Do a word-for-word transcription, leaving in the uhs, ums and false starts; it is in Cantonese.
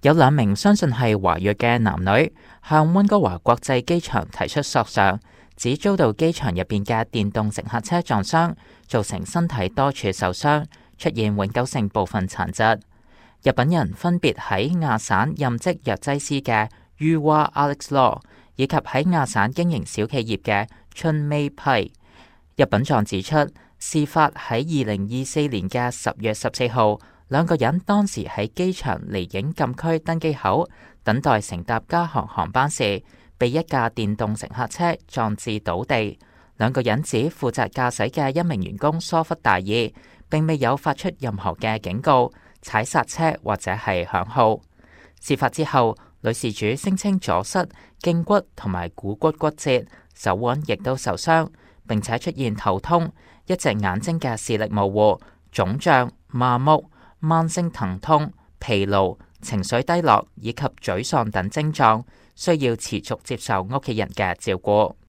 有兩名相信係華裔嘅男女向溫哥華國際機場提出索償，指遭到機場入邊嘅電動乘客車撞傷，造成身體多處受傷，出現永久性部分殘疾。日本人分別喺亞省任職藥劑師嘅於娃 Alex Law， 以及喺亞省經營小企業嘅春 May 批。日本狀指出，事發喺二零二四年嘅十月十四號，兩個人當時喺機場離境禁區登機口等待乘搭加航航班時，被一架電動乘客車撞至倒地。兩個人指負責駕駛嘅一名員工疏忽大意，並未有發出任何嘅警告、踩剎車或者係響號。事發之後，女事主聲稱左膝、頸骨同埋股骨骨折，手腕亦都受傷，並且出現頭痛、一隻眼睛嘅視力模糊、腫脹、麻木、慢性疼痛、疲勞、情緒低落以及沮喪等症狀，需要持續接受屋企人嘅照顧。